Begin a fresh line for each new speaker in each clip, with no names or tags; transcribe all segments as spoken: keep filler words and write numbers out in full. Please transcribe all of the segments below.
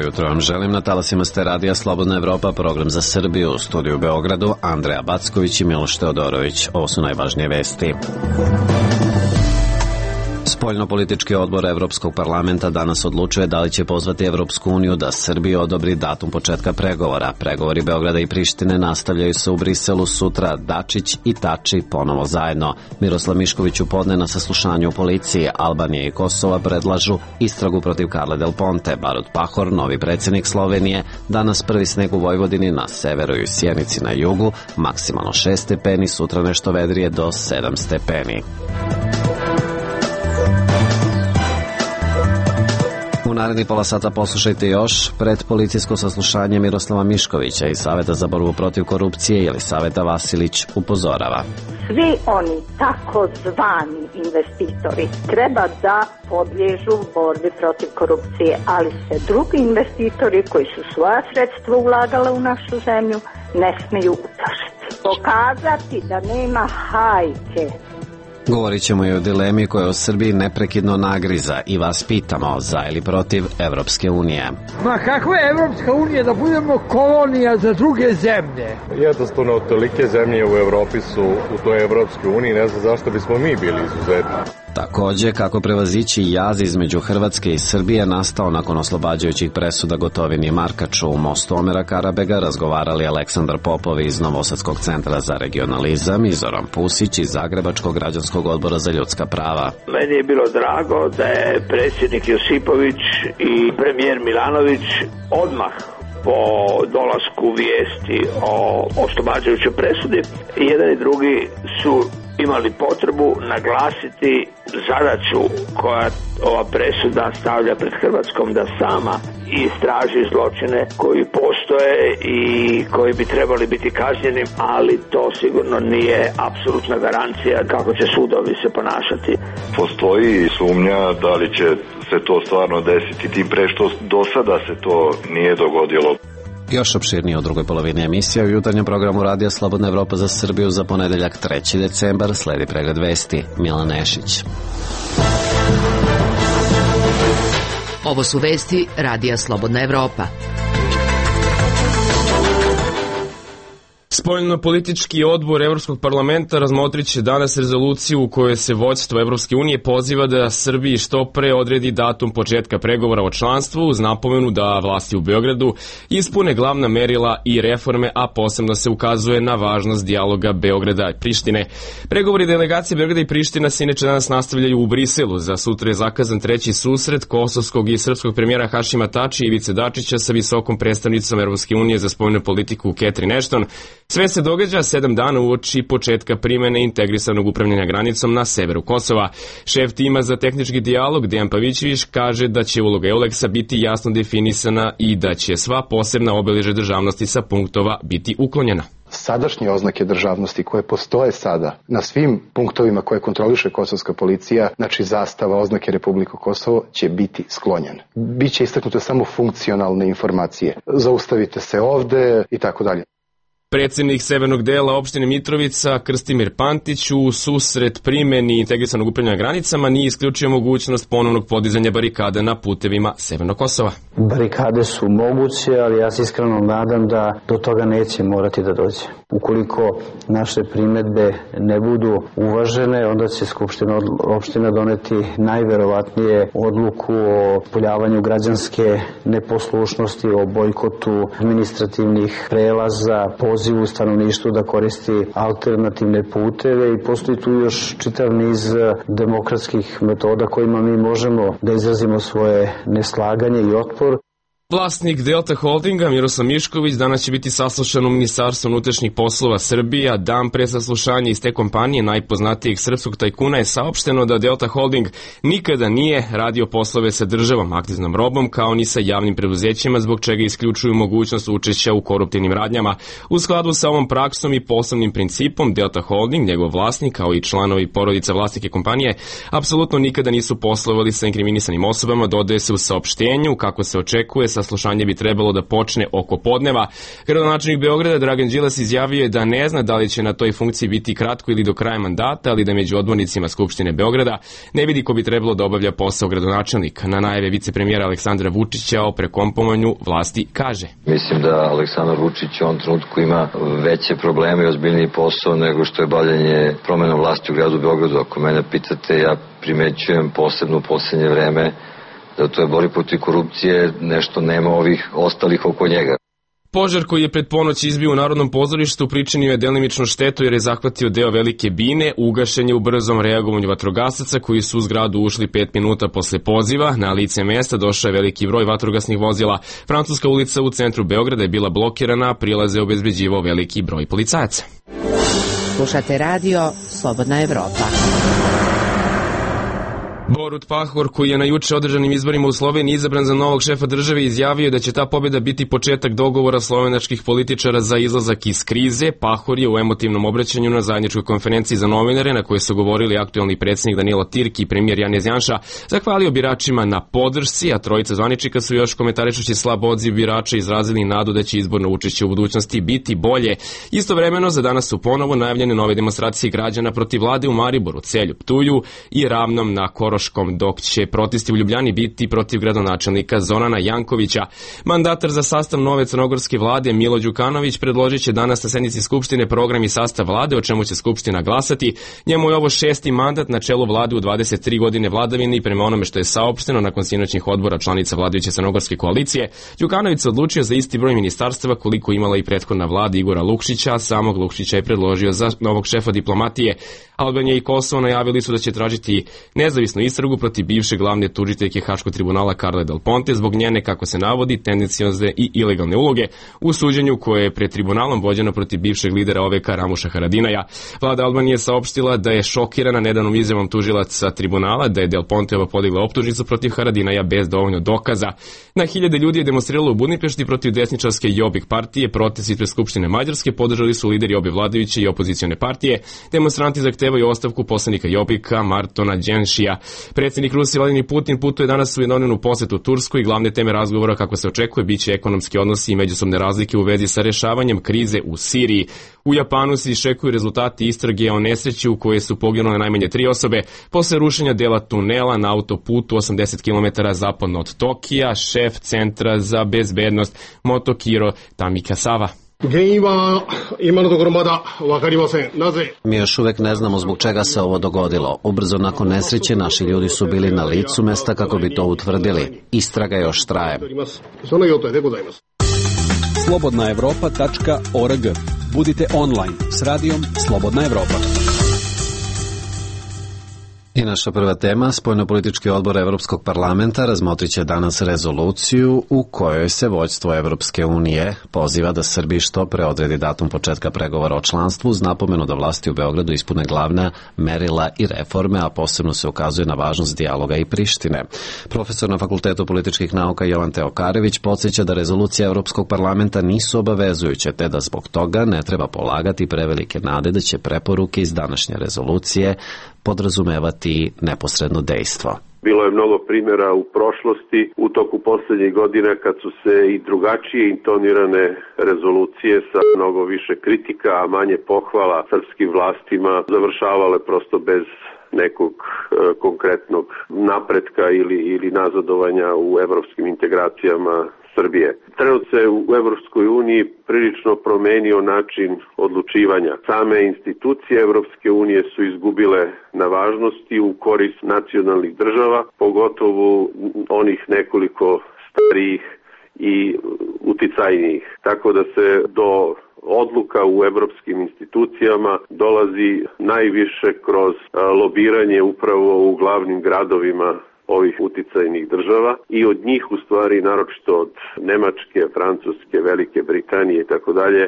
jutro vam želim. Na talasima ste radija Slobodna Evropa, program za Srbiju. U studiju u Beogradu Andreja Backović i Miloš Teodorović. Ovo su najvažnije vesti. Spoljno-politički odbor Evropskog parlamenta danas odlučuje da li će pozvati Evropsku uniju da Srbiji odobri datum početka pregovora. Pregovori Beograda i Prištine nastavljaju se u Briselu sutra. Dačić i Tači ponovo zajedno. Miroslav Mišković upodne na saslušanju u policiji. Albanija i Kosova predlažu istragu protiv Carle Del Ponte. Barut Pahor, novi predsjednik Slovenije. Danas prvi sneg u Vojvodini, na severu i Sjenici na jugu. Maksimalno šest stepeni, sutra nešto vedrije do sedam stepeni. U naredni pola sata poslušajte još pred policijsko saslušanje Miroslava Miškovića iz Saveta za borbu protiv korupcije. Jelisaveta Vasilić upozorava.
Svi oni takozvani investitori treba da podliježu borbi protiv korupcije, ali se drugi investitori koji su svoja sredstva ulagali u našu zemlju ne smiju uplašiti. Pokazati da nema hajke.
Govorit ćemo i o dilemi koja u Srbiji neprekidno nagriza i vas pitamo za ili protiv Evropske unije.
Ma kakva je Evropska unija da budemo kolonija za druge zemlje?
Jednostavno, tolike zemlje u Evropi su u toj Evropskoj uniji, ne znam zašto bismo mi bili izuzetni.
Takođe, kako prevazići jaz između Hrvatske i Srbije nastao nakon oslobađajućih presuda Gotovini i Markaču. U mostu Omera Karabega razgovarali Aleksandar Popov iz Novosadskog centra za regionalizam i Zoran Pusić iz Zagrebačkog građanskog odbora za ljudska prava.
Meni je bilo drago da je predsjednik Josipović i premijer Milanović odmah po dolasku vijesti o oslobađajućoj presudi, jedan i drugi su imali potrebu naglasiti zadaću koja ova presuda stavlja pred Hrvatskom da sama istraži zločine koji postoje i koji bi trebali biti kažnjeni, ali to sigurno nije apsolutna garancija kako će sudovi se ponašati.
Postoji sumnja da li će se to stvarno desiti, tim pre što do sada se to nije dogodilo.
Još opširnije u drugoj polovini emisija u jutarnjem programu Radija Slobodna Evropa za Srbiju za ponedeljak treći decembar sledi pregled vesti. Milan Nešić.
Ovo su vesti Radija Slobodna Evropa.
Spoljno-politički odbor Evropskog parlamenta razmotrit će danas rezoluciju u kojoj se vođstvo Evropske unije poziva da Srbiji što pre odredi datum početka pregovora o članstvu uz napomenu da vlasti u Beogradu ispune glavna merila i reforme, a posebno se ukazuje na važnost dijaloga Beograda i Prištine. Pregovori delegacije Beograda i Priština se inače danas nastavljaju u Briselu. Za sutra je zakazan treći susret kosovskog i srpskog premijera Hašima Tači i Ivice Dačića sa visokom predstavnicom Evropske unije za spoljnu politiku Catherine Ashton. Sve se događa sedam dana uoči početka primene integrisanog upravljanja granicom na severu Kosova. Šef tima za tehnički dijalog Dejan Pavićević kaže da će uloga Euleksa biti jasno definisana i da će sva posebna obeležja državnosti sa punktova biti uklonjena.
Sadašnje oznake državnosti koje postoje sada na svim punktovima koje kontroliše kosovska policija, znači zastava, oznake Republike Kosovo, će biti sklonjene. Biće istaknute samo funkcionalne informacije. Zaustavite se ovde i tako dalje.
Predsjednik severnog dela opštine Mitrovica, Krstimir Pantić, u susret primeni integrisanog upravljanja granicama nije isključio mogućnost ponovnog podizanja barikada na putevima Severnog Kosova.
Barikade su moguće, ali ja se iskreno nadam da do toga neće morati da dođe. Ukoliko naše primedbe ne budu uvažene, onda će Skupština opština doneti najverovatnije odluku o poljavanju građanske neposlušnosti, o bojkotu administrativnih prelaza, pozivu stanovništvu da koristi alternativne puteve i postoji tu još čitav niz demokratskih metoda kojima mi možemo da izrazimo svoje neslaganje i otpor.
Vlasnik Delta Holdinga Miroslav Mišković danas će biti saslušan u Ministarstvu unutrašnjih poslova Srbije, a dan pre saslušanja iz te kompanije najpoznatijeg srpskog tajkuna je saopšteno da Delta Holding nikada nije radio poslove sa državom, akciznom robom, kao ni sa javnim preduzećima, zbog čega isključuju mogućnost učešća u koruptivnim radnjama. U skladu sa ovom praksom i poslovnim principom, Delta Holding, njegov vlasnik, kao i članovi porodica vlasnike kompanije, apsolutno nikada nisu poslovali sa inkriminisanim osobama, dodaje se u saopštenju, kako se očekuje, saslušanje bi trebalo da počne oko podneva. Gradonačelnik Beograda Dragan Đilas izjavio je da ne zna da li će na toj funkciji biti kratko ili do kraja mandata, ali da među odbornicima Skupštine Beograda ne vidi ko bi trebalo da obavlja posao gradonačelnika. Na najave vicepremijera Aleksandra Vučića o prekompovanju vlasti kaže:
Mislim da Aleksandar Vučić u ovom trenutku ima veće probleme i ozbiljniji posao nego što je bavljanje promena vlasti u gradu Beogradu. Ako mene pitate, ja primećujem posebno u poslednje vreme da u toj borbi protiv korupcije nešto nema ovih ostalih oko njega.
Požar koji je pred ponoć izbio u Narodnom pozorištu pričinio je delimično štetu jer je zahvatio deo Velike bine, ugašen je u brzom reagovanju vatrogasaca koji su u zgradu ušli pet minuta posle poziva. Na lice mesta došao je veliki broj vatrogasnih vozila. Francuska ulica u centru Beograda je bila blokirana, a prilaze obezbeđivao veliki broj policajaca.
Slušate radio Slobodna Evropa.
Borut Pahor, koji je na juče održanim izborima u Sloveniji izabran za novog šefa države, izjavio da će ta pobjeda biti početak dogovora slovenačkih političara za izlazak iz krize. Pahor je u emotivnom obraćanju na zajedničkoj konferenciji za novinare, na kojoj su govorili aktuelni predsjednik Danilo Tirki i premijer Janez Janša, zahvalio biračima na podršci, a trojica zvaničnika su još komentarišući slab odziv birača izrazili nadu da će izborno učešće u budućnosti biti bolje. Istovremeno, za danas su ponovo najavljene nove demonstracije građana protiv vlade u Mariboru, Celju, Ptuju i Ravnom na Koroškom, dok će protesti u Ljubljani biti protiv gradonačelnika Zorana Jankovića. Mandatar za sastav nove crnogorske vlade Milo Đukanović predložit će danas na sednici Skupštine program i sastav vlade, o čemu će Skupština glasati. Njemu je ovo šesti mandat na čelu vlade u dvadeset tri godine vladavine i prema onome što je saopšteno nakon sinoćnih odbora članica vladajuće crnogorske koalicije, Đukanović se odlučio za isti broj ministarstava koliko imala i prethodna vlada Igora Lukšića, a samog Lukšića je predložio za novog šefa diplomatije. Albanija i Kosovo najavili su da će tražiti nezavisnu istragu protiv bivše glavne tužiteljke Haškog tribunala Carle Del Ponte zbog njene, kako se navodi, tendenciozne i ilegalne uloge u suđenju koje je pred tribunalom vođeno protiv bivšeg lidera O V K Ramuša Haradinaja. Vlada Albanije saopštila da je šokirana nedavnom izjavom tužilaca tribunala da je Del Ponteova podigla optužnicu protiv Haradinaja bez dovoljno dokaza. Na hiljade ljudi je demonstriralo u Budimpešti protiv desničarske Jobbik partije. Protest ispred Skupštine Mađarske podržali su lideri obe vladajuće i opozicione partije. Demonstranti zahtevaju ostavku poslanika Jobbika Martona Đenšija. Predsjednik Rusije Vladimir Putin putuje danas u jednodnevnu posetu Tursku i glavne teme razgovora, kako se očekuje, biće ekonomski odnosi i međusobne razlike u vezi sa rešavanjem krize u Siriji. U Japanu se iščekuju rezultati istrage o nesreći u kojoj su poginule najmanje tri osobe posle rušenja dela tunela na autoputu osamdeset kilometara zapadno od Tokija. Šef Centra za bezbednost Motokiro Tamikasawa.
Mi još uvek ne znamo zbog čega se ovo dogodilo. Ubrzo nakon nesreće naši ljudi su bili na licu mesta kako bi to utvrdili. Istraga još traje.
slobodna evropa tačka org. Budite online s radijom Slobodna Evropa.
I naša prva tema, spoljnopolitički odbor Evropskog parlamenta razmotrit će danas rezoluciju u kojoj se vođstvo Evropske unije poziva da Srbiji što pre odredi datum početka pregovora o članstvu uz napomenu da vlasti u Beogradu ispune glavna merila i reforme, a posebno se ukazuje na važnost dijaloga i Prištine. Profesor na Fakultetu političkih nauka Jovan Teokarević podsjeća da rezolucije Evropskog parlamenta nisu obavezujuće, te da zbog toga ne treba polagati prevelike nade da će preporuke iz današnje rezolucije podrazumevati neposredno dejstvo.
Bilo je mnogo primjera u prošlosti, u toku posljednjih godina, kad su se i drugačije intonirane rezolucije sa mnogo više kritika, a manje pohvala srpskim vlastima završavale prosto bez nekog e, konkretnog napretka ili, ili nazadovanja u evropskim integracijama Srbije. Trenutno se u Evropskoj uniji prilično promenio način odlučivanja. Same institucije Evropske unije su izgubile na važnosti u korist nacionalnih država, pogotovo onih nekoliko starijih i uticajnijih. Tako da se do odluka u evropskim institucijama dolazi najviše kroz lobiranje upravo u glavnim gradovima ovih uticajnih država i od njih u stvari, naročito od Nemačke, Francuske, Velike Britanije i tako dalje,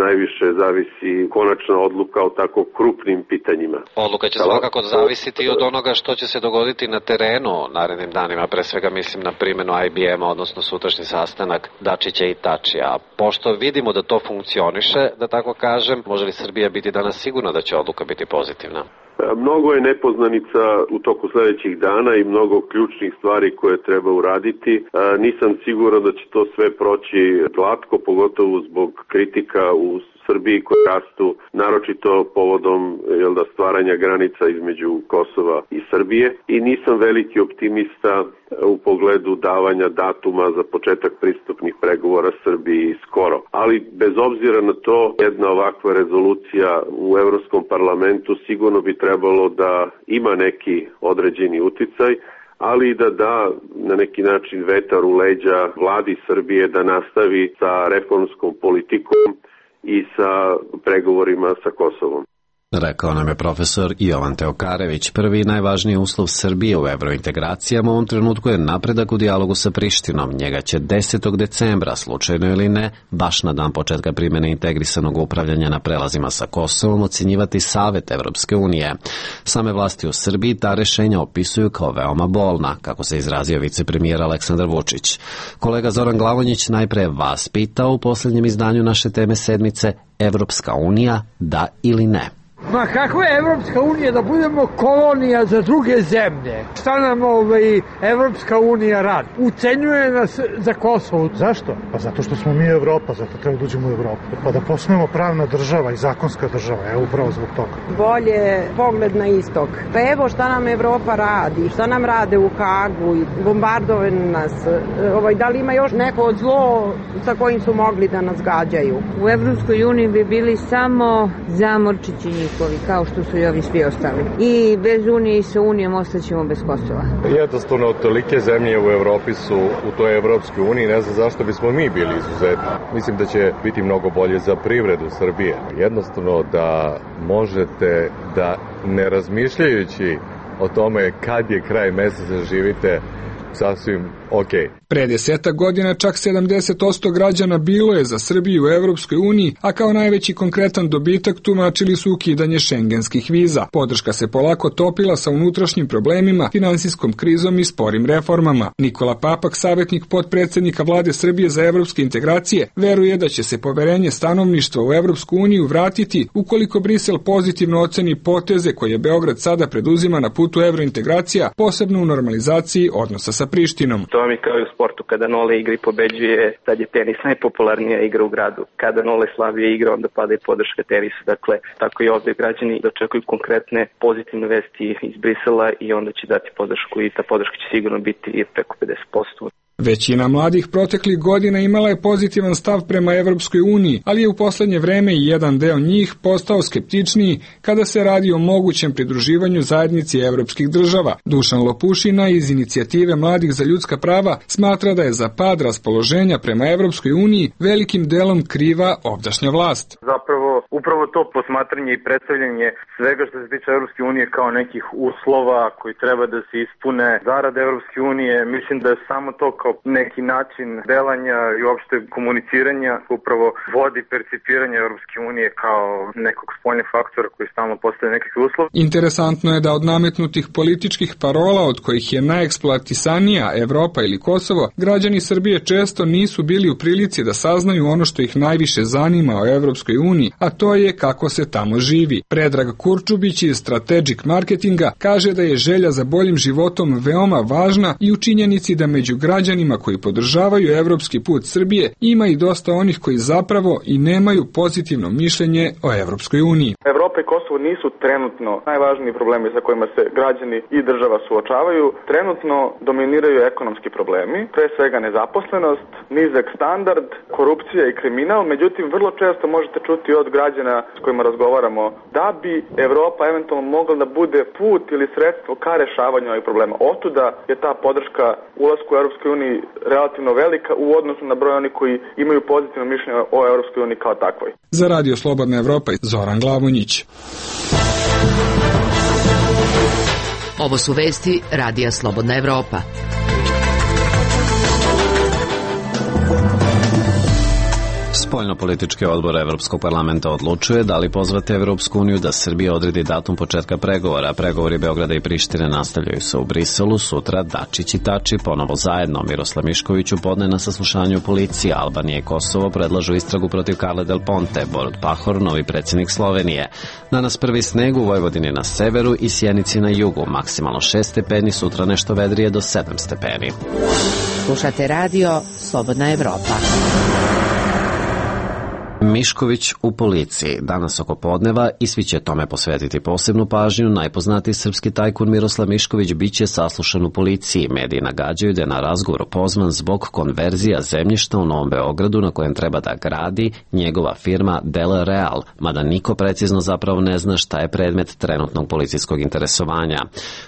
najviše zavisi konačna odluka o tako krupnim pitanjima.
Odluka će svakako zavisiti od onoga što će se dogoditi na terenu narednim danima, pre svega mislim na primjenu I B M-a, odnosno sutrašnji sastanak Dačića i Tačija. Pošto vidimo da to funkcioniše, da tako kažem, može li Srbija biti danas sigurna da će odluka biti pozitivna?
Mnogo je nepoznanica u toku sledećih dana i mnogo ključnih stvari koje treba uraditi. Nisam siguran da će to sve proći glatko, pogotovo zbog kritika u Srbiji koje rastu, naročito povodom jel da, stvaranja granica između Kosova i Srbije. I nisam veliki optimista u pogledu davanja datuma za početak pristupnih pregovora Srbiji skoro. Ali bez obzira na to, jedna ovakva rezolucija u Evropskom parlamentu sigurno bi trebalo da ima neki određeni uticaj, ali i da da na neki način vetar u leđa vladi Srbije da nastavi sa reformskom politikom i sa pregovorima sa Kosovom.
Rekao nam je profesor Jovan Teokarević. Prvi i najvažniji uslov Srbije u evrointegracijama u ovom trenutku je napredak u dijalogu sa Prištinom. Njega će desetog decembra, slučajno ili ne, baš na dan početka primjene integrisanog upravljanja na prelazima sa Kosovom, ocenjivati Savet Evropske unije. Same vlasti u Srbiji ta rešenja opisuju kao veoma bolna, kako se izrazio vicepremijer Aleksandar Vučić. Kolega Zoran Glavonjić najpre vas pitao u posljednjem izdanju naše teme sedmice Evropska unija, da ili ne?
Ma kako je Evropska unija da budemo kolonija za druge zemlje? Šta nam ovaj Evropska unija radi? Ucenjuje nas za Kosovo.
Zašto? Pa zato što smo mi Evropa, zato treba da uđemo u Evropu. Pa da postanemo pravna država i zakonska država, evo upravo zbog toga.
Bolje pogled na istok. Pa evo šta nam Evropa radi, šta nam rade u Hagu i bombardovaju nas. Ovaj, da li ima još neko zlo sa kojim su mogli da nas gađaju?
U Evropskoj uniji bi bili samo zamorčići njihovi, kao što su i ovi svi ostali. I bez Unije i sa Unijom ostaćemo bez Kosova.
Jednostavno, tolike zemlje u Evropi su u toj Evropskoj uniji, ne znam zašto bismo mi bili izuzetni. Mislim da će biti mnogo bolje za privredu Srbije. Jednostavno da možete da ne razmišljajući o tome kad je kraj meseca živite sasvim okej. Okay.
Pre desetak godina čak sedamdeset posto građana bilo je za Srbiju u Evropskoj uniji, a kao najveći konkretan dobitak tumačili su ukidanje šengenskih viza. Podrška se polako topila sa unutrašnjim problemima, finansijskom krizom i sporim reformama. Nikola Papak, savjetnik potpredsednika vlade Srbije za evropske integracije, veruje da će se poverenje stanovništva u Evropsku uniju vratiti ukoliko Brisel pozitivno oceni poteze koje Beograd sada preduzima na putu evrointegracija, posebno u normalizaciji odnosa sa Prištinom.
To mi kao i u sportu, kada Nole igra i pobeđuje, tad je tenis najpopularnija igra u gradu. Kada Nole slabije igra, onda pada i podrška tenisu. Dakle, tako i ovde građani dočekuju konkretne pozitivne vesti iz Brisela i onda će dati podršku i ta podrška će sigurno biti preko pedeset posto.
Većina mladih proteklih godina imala je pozitivan stav prema Evropskoj uniji, ali je u poslednje vreme i jedan deo njih postao skeptičniji kada se radi o mogućem pridruživanju zajednici evropskih država. Dušan Lopušina iz inicijative Mladih za ljudska prava smatra da je za pad raspoloženja prema Evropskoj uniji velikim delom kriva ovdašnja vlast.
Zapravo, upravo to posmatranje i predstavljanje svega što se tiče Evropske unije kao nekih uslova koji treba da se ispune zarad Evropske unije, mislim da je samo to kao neki način delanja i uopšte komuniciranja upravo vodi percipiranje Evropske unije kao nekog spoljnog faktora koji stalno postaje nekakvi uslov.
Interesantno je da od nametnutih političkih parola, od kojih je najeksploatisanija Evropa ili Kosovo, građani Srbije često nisu bili u prilici da saznaju ono što ih najviše zanima o Evropskoj uniji, a to je kako se tamo živi. Predrag Kurčubić iz Strategic Marketinga kaže da je želja za boljim životom veoma važna i u činjenici da među građanima koji podržavaju evropski put Srbije ima i dosta onih koji zapravo i nemaju pozitivno mišljenje o Evropskoj uniji.
Evropa i Kosovo nisu trenutno najvažniji problemi sa kojima se građani i država suočavaju. Trenutno dominiraju ekonomski problemi, pre svega nezaposlenost, nizak standard, korupcija i kriminal, međutim vrlo često možete čuti od građana s kojima razgovaramo da bi Evropa eventualno mogla da bude put ili sredstvo ka rešavanju ovih problema. Otuda je ta podrška ulasku u Evropskoj uniji relativno velika u odnosu na broj onih koji imaju pozitivno mišljenje o Evropskoj uniji kao takvoj.
Za Radio Slobodna Evropa, Zoran Glavonjić.
Ovo su vesti Radija Slobodna Evropa.
Spoljnopolitički odbor Evropskog parlamenta odlučuje da li pozvati Evropsku uniju da Srbija odredi datum početka pregovora. Pregovori Beograda i Prištine nastavljaju se u Briselu. Sutra Dačić i Tači ponovo zajedno. Miroslav Mišković upodne na saslušanju policije. Albanija i Kosovo predlažu istragu protiv Carle Del Ponte. Borut Pahor, novi predsjednik Slovenije. Danas prvi sneg u Vojvodini na severu i Sjenici na jugu. Maksimalno šest stepeni, sutra nešto vedrije do sedam stepeni.
Slušate radio Slobodna Evropa.
Mišković u policiji. Danas oko podneva i svi će tome posvetiti posebnu pažnju. Najpoznatiji srpski tajkun Miroslav Mišković biće saslušan u policiji. Mediji nagađaju da je na razgovor pozvan zbog konverzija zemljišta u Novom Beogradu na kojem treba da gradi njegova firma Del Real, mada niko precizno zapravo ne zna šta je predmet trenutnog policijskog interesovanja.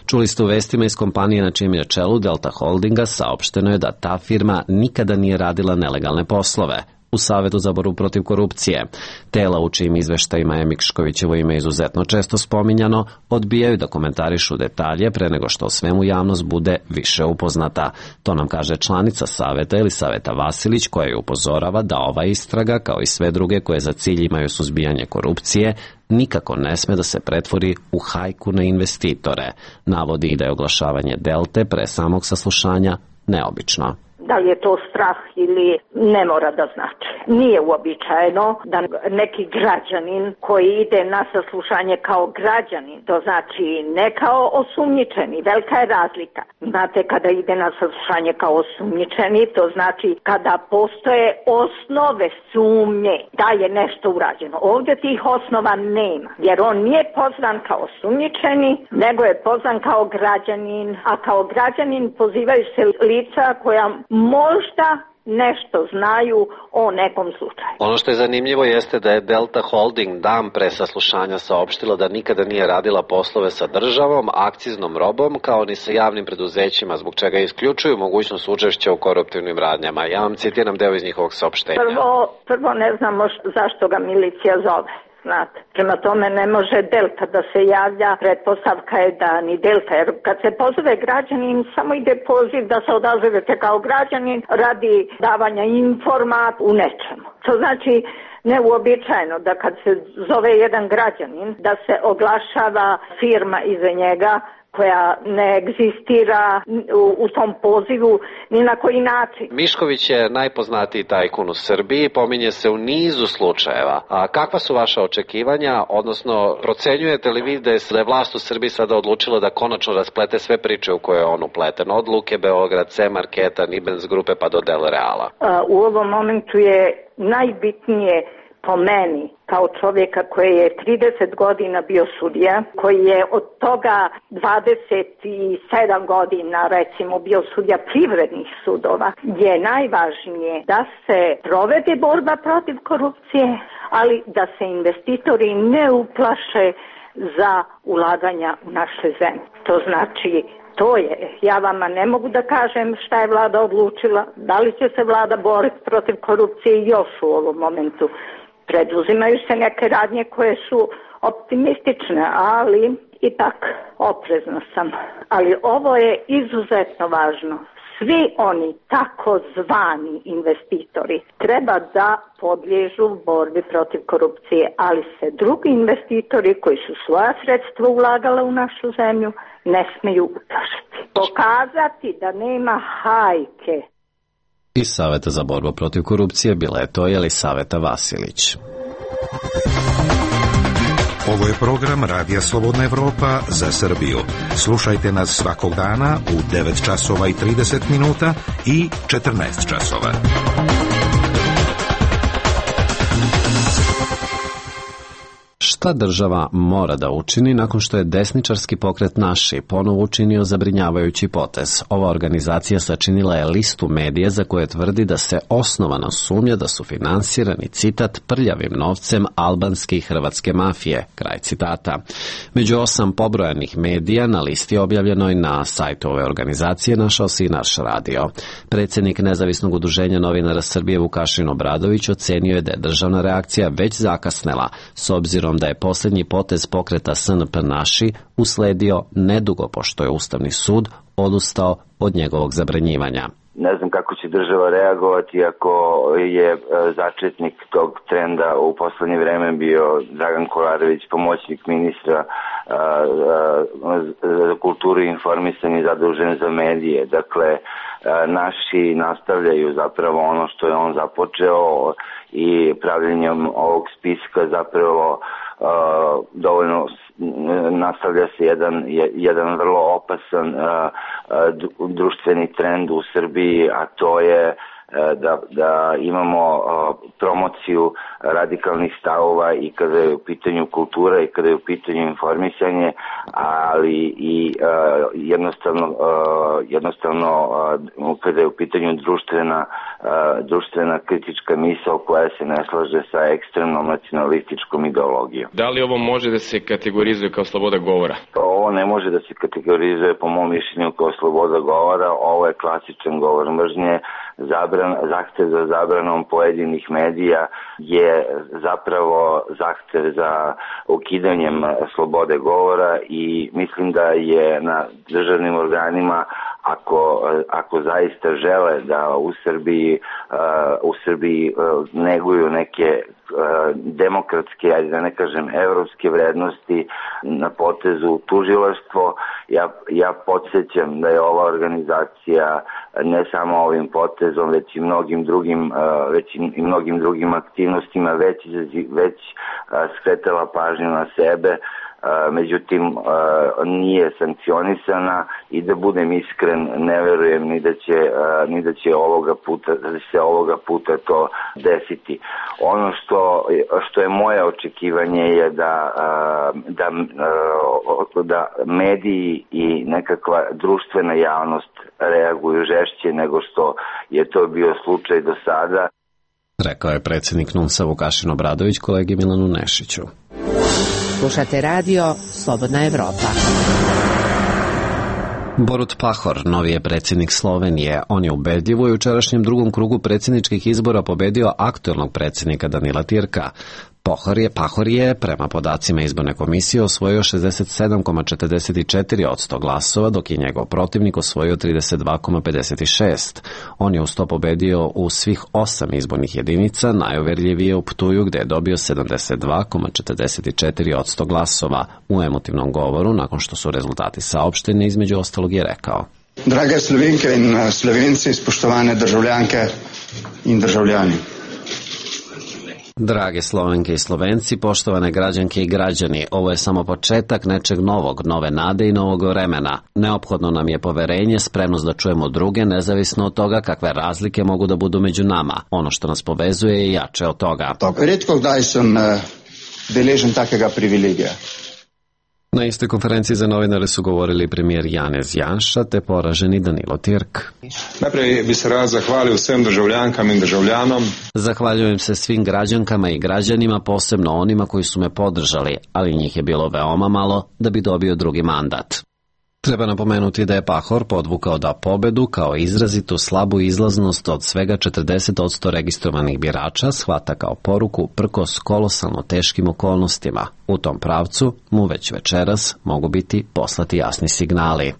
Čuli ste u vestima iz kompanije na čijem je čelu Delta Holdinga, saopšteno je da ta firma nikada nije radila nelegalne poslove. U Savetu za borbu protiv korupcije. Tela u čijim izveštajima je Miškovićevo ime izuzetno često spominjano, odbijaju da komentarišu detalje pre nego što o svemu javnost bude više upoznata. To nam kaže članica Saveta Elisaveta Vasilić, koja je upozorava da ova istraga, kao i sve druge koje za cilj imaju suzbijanje korupcije, nikako ne sme da se pretvori u hajku na investitore. Navodi i da je oglašavanje Delte pre samog saslušanja neobično.
Da li je to strah ili ne mora da znači. Nije uobičajeno da neki građanin koji ide na saslušanje kao građanin, to znači ne kao osumnjičeni, velika je razlika. Znate, kada ide na saslušanje kao osumnjičeni, to znači kada postoje osnove sumnje da je nešto urađeno. Ovdje tih osnova nema, jer on nije pozvan kao osumnjičeni, nego je pozvan kao građanin, a kao građanin pozivaju se lica koja možda nešto znaju o nekom slučaju.
Ono što je zanimljivo jeste da je Delta Holding dan pre saslušanja saopštila da nikada nije radila poslove sa državom, akciznom robom, kao ni sa javnim preduzećima, zbog čega isključuju mogućnost učešća u koruptivnim radnjama. Ja vam citiram deo iz njihovog saopštenja.
Prvo, prvo ne znamo zašto ga milicija zove. Znate, prema tome ne može Delta da se javlja, pretpostavka je da ni Delta, jer kad se pozove građanin, samo ide poziv da se odazovete kao građanin radi davanja informat u nečemu. To znači neuobičajeno da kad se zove jedan građanin, da se oglašava firma iza njega, koja ne egzistira u, u tom pozivu ni na koji način.
Mišković je najpoznatiji tajkun u Srbiji, pominje se u nizu slučajeva. A kakva su vaša očekivanja, odnosno procenjujete li vi da je vlast u Srbiji sada odlučila da konačno rasplete sve priče u koje je on upleten, od Luke Beograd, C Marketa, Nibens grupe pa do Del Reala?
A, u ovom momentu je najbitnije po meni, kao čovjeka koji je trideset godina bio sudija, koji je od toga dvadeset sedam godina recimo bio sudija privrednih sudova, je najvažnije da se provede borba protiv korupcije, ali da se investitori ne uplaše za ulaganja u naše zemlje. To znači, to je, ja vama ne mogu da kažem šta je vlada odlučila, da li će se vlada boriti protiv korupcije još u ovom momentu. Preduzimaju se neke radnje koje su optimistične, ali ipak oprezna sam. Ali ovo je izuzetno važno. Svi oni takozvani investitori treba da podliježu borbi protiv korupcije, ali se drugi investitori koji su svoja sredstva ulagali u našu zemlju ne smiju uplašiti. Pokazati da nema hajke.
Iz Saveta za borbu protiv korupcije bila je to Elisaveta Vasilić.
Ovo je program Radija Slobodna Evropa za Srbiju. Slušajte nas svakog dana u devet časova i trideset minuta i četrnaest časova.
Šta država mora da učini nakon što je desničarski pokret Naši ponovo učinio zabrinjavajući potez? Ova organizacija sačinila je listu medija za koje tvrdi da se osnovano sumnja da su finansirani, citat, prljavim novcem albanske i hrvatske mafije, kraj citata. Među osam pobrojanih medija na listi objavljenoj na sajtu ove organizacije našao se i naš radio. Predsjednik Nezavisnog udruženja novinara Srbije Vukašin Obradović ocenio je da je državna reakcija već zakasnela, s obzirom da je posljednji potez pokreta S N P Naši usledio nedugo pošto je Ustavni sud odustao od njegovog zabranjivanja.
Ne znam kako će država reagovati ako je začetnik tog trenda u poslednje vreme bio Dragan Kolarević, pomoćnik ministra za kulturu i informisanje zadužen za medije. Dakle, naši nastavljaju zapravo ono što je on započeo i pravljenjem ovog spiska zapravo dovoljno nastavlja se jedan, jedan vrlo opasan društveni trend u Srbiji, a to je da, da imamo promociju radikalnih stavova i kada je u pitanju kultura i kada je u pitanju informisanje, ali i jednostavno, jednostavno kada je u pitanju društvena, društvena kritička misao koja se ne slaže sa ekstremnom nacionalističkom ideologijom.
Da li ovo može da se kategorizuje kao sloboda govora?
Ovo ne može da se kategorizuje po mom mišljenju kao sloboda govora, ovo je klasičan govor mržnje. Zabran, zahtev za zabranom pojedinih medija je zapravo zahtev za ukidanjem slobode govora i mislim da je na državnim organima, ako, ako zaista žele da u Srbiji, uh, u Srbiji uh, neguju neke uh, demokratske, ajde da ne kažem evropske vrednosti na potezu tužilaštvo, ja, ja podsjećam da je ova organizacija ne samo ovim potezom, već i mnogim drugim, uh, već i mnogim drugim aktivnostima već, već uh, skretala pažnju na sebe. Uh, međutim uh, nije sankcionisana i da budem iskren ne verujem ni da će, uh, ni da će ovoga puta, da će se ovoga puta to desiti. Ono što, što je moje očekivanje je da, uh, da, uh, da mediji i nekakva društvena javnost reaguju žešće nego što je to bio slučaj do sada.
Rekao je predsjednik N U N S-a Vukašin Obradović kolegi Milanu Nešiću.
Slušate radio Slobodna Evropa.
Borut Pahor, novi je predsjednik Slovenije. On je ubedljivo u jučerašnjem drugom krugu predsjedničkih izbora pobedio aktuelnog predsjednika Danila Tirka. Pahor je, Pahor je, prema podacima izborne komisije, osvojio šezdeset sedam zarez četrdeset četiri posto glasova, dok je njegov protivnik osvojio trideset dva zarez pedeset šest. On je uz to pobedio u svih osam izbornih jedinica, najuverljivije u Ptuju gde je dobio sedamdeset dva zarez četrdeset četiri posto glasova. U emotivnom govoru, nakon što su rezultati saopšteni, između ostalog je rekao:
Drage Slovenke in Slovenci, spoštovane državljanke in državljani.
Drage Slovenke i Slovenci, poštovane građanke i građani, ovo je samo početak nečeg novog, nove nade i novog vremena. Neophodno nam je poverenje, spremnost da čujemo druge, nezavisno od toga kakve razlike mogu da budu među nama. Ono što nas povezuje je jače od toga.
Redko kdaj sam deležen takega privilegija.
Na istoj konferenciji za novinare su govorili premijer Janez Janša te poraženi Danilo Tirk.
Najprej bi se rad zahvalil vsem državljankam in državljanom.
Zahvaljujem se svim građankama i građanima, posebno onima koji su me podržali, ali njih je bilo veoma malo da bi dobio drugi mandat. Treba napomenuti da je Pahor podvukao da pobedu kao izrazitu slabu izlaznost od svega četrdeset posto registrovanih birača shvata kao poruku prkos kolosalno teškim okolnostima. U tom pravcu mu već večeras mogu biti poslati jasni signali.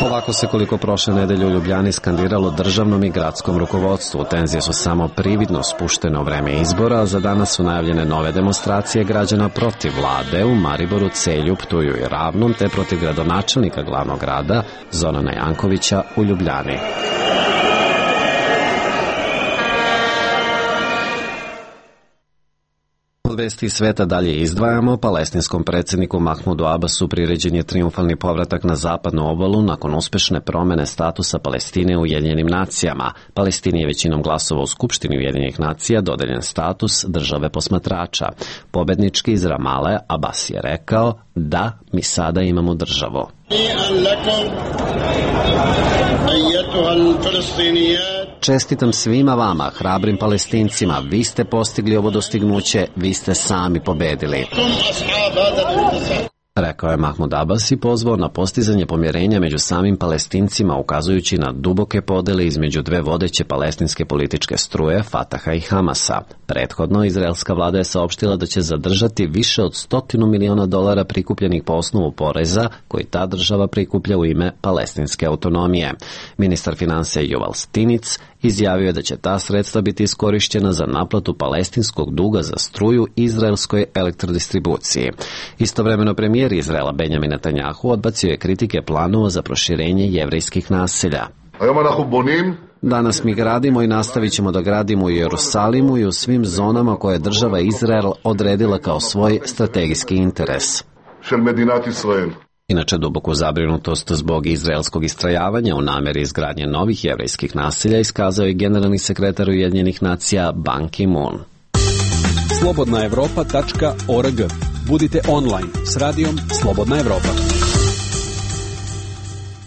Ovako se koliko prošle nedelje u Ljubljani skandiralo državnom i gradskom rukovodstvu. Tenzije su samo prividno spuštene u vreme izbora, a za danas su najavljene nove demonstracije građana protiv vlade u Mariboru, Celju, Ptuju i Ravnom, te protiv gradonačelnika glavnog grada Zorana Jankovića u Ljubljani. Od vesti sveta dalje izdvajamo. Palestinskom predsjedniku Mahmudu Abbasu priređen je triumfalni povratak na zapadnu obalu nakon uspešne promene statusa Palestine u Ujedinjenim nacijama. Palestini je većinom glasova u Skupštini Ujedinjenih nacija dodeljen status države posmatrača. Pobednički iz Ramale Abbas je rekao: da, mi sada imamo državu. Čestitam svima vama, hrabrim Palestincima, vi ste postigli ovo dostignuće, vi ste sami pobedili. rekao je Mahmud Abbas i pozvao na postizanje pomirenja među samim Palestincima, ukazujući na duboke podele između dve vodeće palestinske političke struje, Fataha i Hamasa. Prethodno, izraelska vlada je saopštila da će zadržati više od stotinu miliona dolara prikupljenih po osnovu poreza koji ta država prikuplja u ime palestinske autonomije. Ministar finansija Yuval Stinic izjavio je da će ta sredstva biti iskorišćena za naplatu palestinskog duga za struju izraelskoj elektrodistribuciji. Istovremeno premijer Izraela Benjamin Netanjahu odbacio je kritike planova za proširenje jevrejskih naselja. Danas mi gradimo i nastavit ćemo da gradimo u Jerusalimu i u svim zonama koje je država Izrael odredila kao svoj strategijski interes. Inače, duboku zabrinutost zbog izraelskog istrajavanja u nameri izgradnje novih jevrejskih naselja iskazao je generalni sekretar Ujedinjenih nacija Ban Ki-moon.
slobodna evropa tačka org. Budite online s radijom Slobodna Evropa.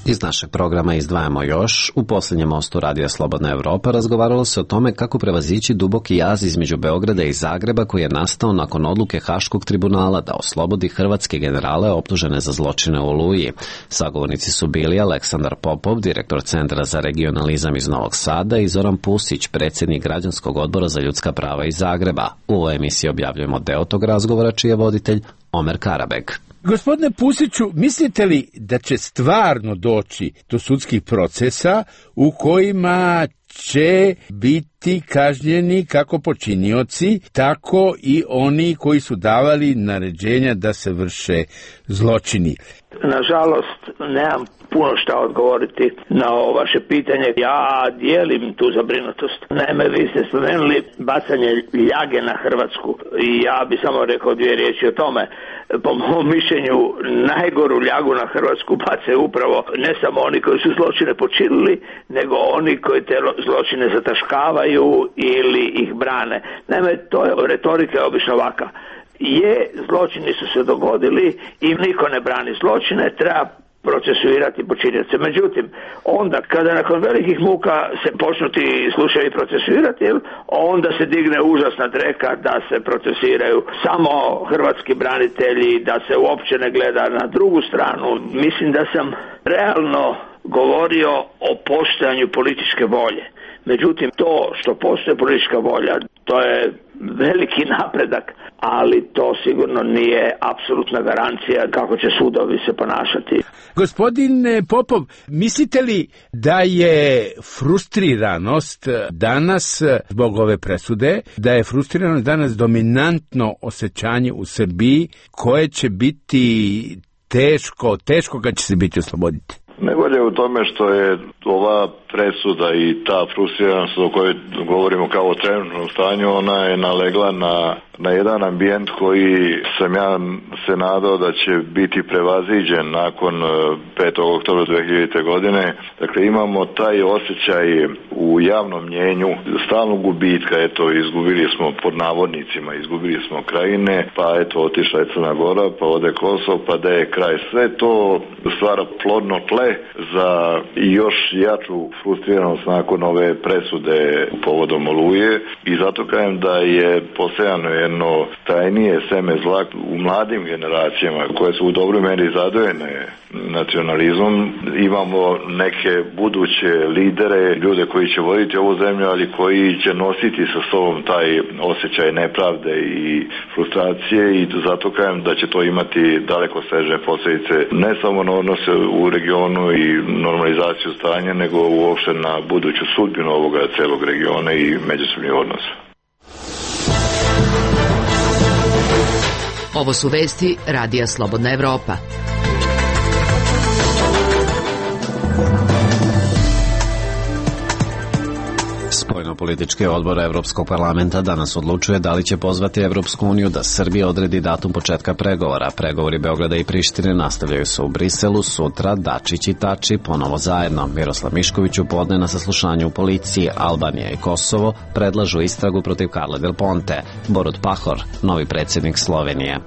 Iz našeg programa izdvajamo još. U posljednjem mostu Radija Slobodna Evropa razgovaralo se o tome kako prevazići duboki jaz između Beograda i Zagreba koji je nastao nakon odluke Haškog tribunala da oslobodi hrvatske generale optužene za zločine u Oluji. Sagovornici su bili Aleksandar Popov, direktor Centra za regionalizam iz Novog Sada, i Zoran Pusić, predsjednik Građanskog odbora za ljudska prava iz Zagreba. U ovoj emisiji objavljujemo deo tog razgovora čiji je voditelj Omer Karabek.
Gospodine Pusiću, mislite li da će stvarno doći do sudskih procesa u kojima će biti kažnjeni kako počinioci, tako i oni koji su davali naređenja da se vrše zločini?
Nažalost, nemam puno šta odgovoriti na ovo vaše pitanje. Ja dijelim tu zabrinutost. Naime, vi ste spomenuli bacanje ljage na Hrvatsku i ja bi samo rekao dvije riječi o tome. Po mom mišljenju, najgoru ljagu na Hrvatsku bacaju upravo ne samo oni koji su zločine počinili, nego oni koji te zločine zataškavaju ili ih brane. Naime, to je retorika je obično ovaka. Je, zločini su se dogodili i niko ne brani zločine, treba procesuirati počinioce. Međutim, onda kada nakon velikih muka se počnu ti slučajevi procesuirati, onda se digne užasna dreka da se procesuiraju samo hrvatski branitelji, da se uopće ne gleda na drugu stranu. Mislim da sam realno govorio o postojanju političke volje. Međutim, to što postoje politička volja, to je veliki napredak, ali to sigurno nije apsolutna garancija kako će sudovi se ponašati.
Gospodine Popov, mislite li da je frustriranost danas zbog ove presude, da je frustriranost danas dominantno osjećanje u Srbiji koje će biti teško, teško kad će se biti osloboditi?
Najbolje je u tome što je ova presuda i ta frustriranost o kojoj govorimo kao o trenutnom stanju, ona je nalegla na, na jedan ambijent koji sam ja se nadao da će biti prevaziđen nakon petog oktobra dve hiljadite. godine. Dakle, imamo taj osjećaj u javnom mnjenju stalnog gubitka. Eto, izgubili smo pod navodnicima, izgubili smo Krajine, pa eto, otišla je Crna Gora, pa ode Kosovo, pa da je kraj. Sve to stvara plodno tle za još jaču frustriranost nakon ove presude povodom Oluje i zato kažem da je posejano jedno tajnije seme zla u mladim generacijama koje su u dobroj meri zadojene nacionalizmom. Imamo neke buduće lidere, ljude koji će voditi ovu zemlju, ali koji će nositi sa sobom taj osjećaj nepravde i frustracije i zato kažem da će to imati daleko sežne posljedice ne samo na odnose u regionu i normalizaciju stanja, nego uopšte na buduću sudbinu ovoga celog regiona i međusobnih odnosa.
Ovo su vesti Radija Slobodna Evropa.
Spoljnopolitički odbor Evropskog parlamenta danas odlučuje da li će pozvati Evropsku uniju da Srbija odredi datum početka pregovora. Pregovori Beograda i Prištine nastavljaju se u Briselu sutra. Dačić i Tači ponovo zajedno. Miroslav Mišković u podne na saslušanju u policiji. Albanija i Kosovo predlažu istragu protiv Carle Del Ponte. Borut Pahor, novi predsjednik Slovenije.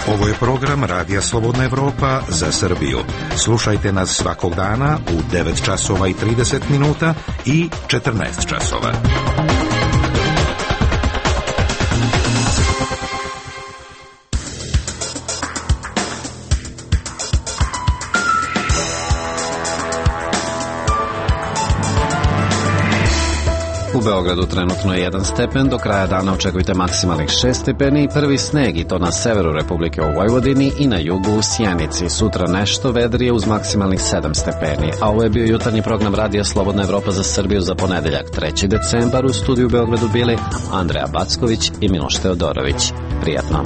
Ovo je program Radija Slobodna Evropa za Srbiju. Slušajte nas svakog dana u devet časova i trideset minuta i četrnaest časova.
Beogradu trenutno je jedan stepen, do kraja dana očekujte maksimalnih šest stepeni i prvi sneg, i to na severu Republike u Vojvodini i na jugu u Sjenici. Sutra nešto vedrije uz maksimalnih sedam stepeni. A ovo je bio jutarnji program Radija Slobodna Evropa za Srbiju za ponedeljak, treći decembar. U studiju u Beogradu bili Andreja Backović i Miloš Teodorović. Prijatno.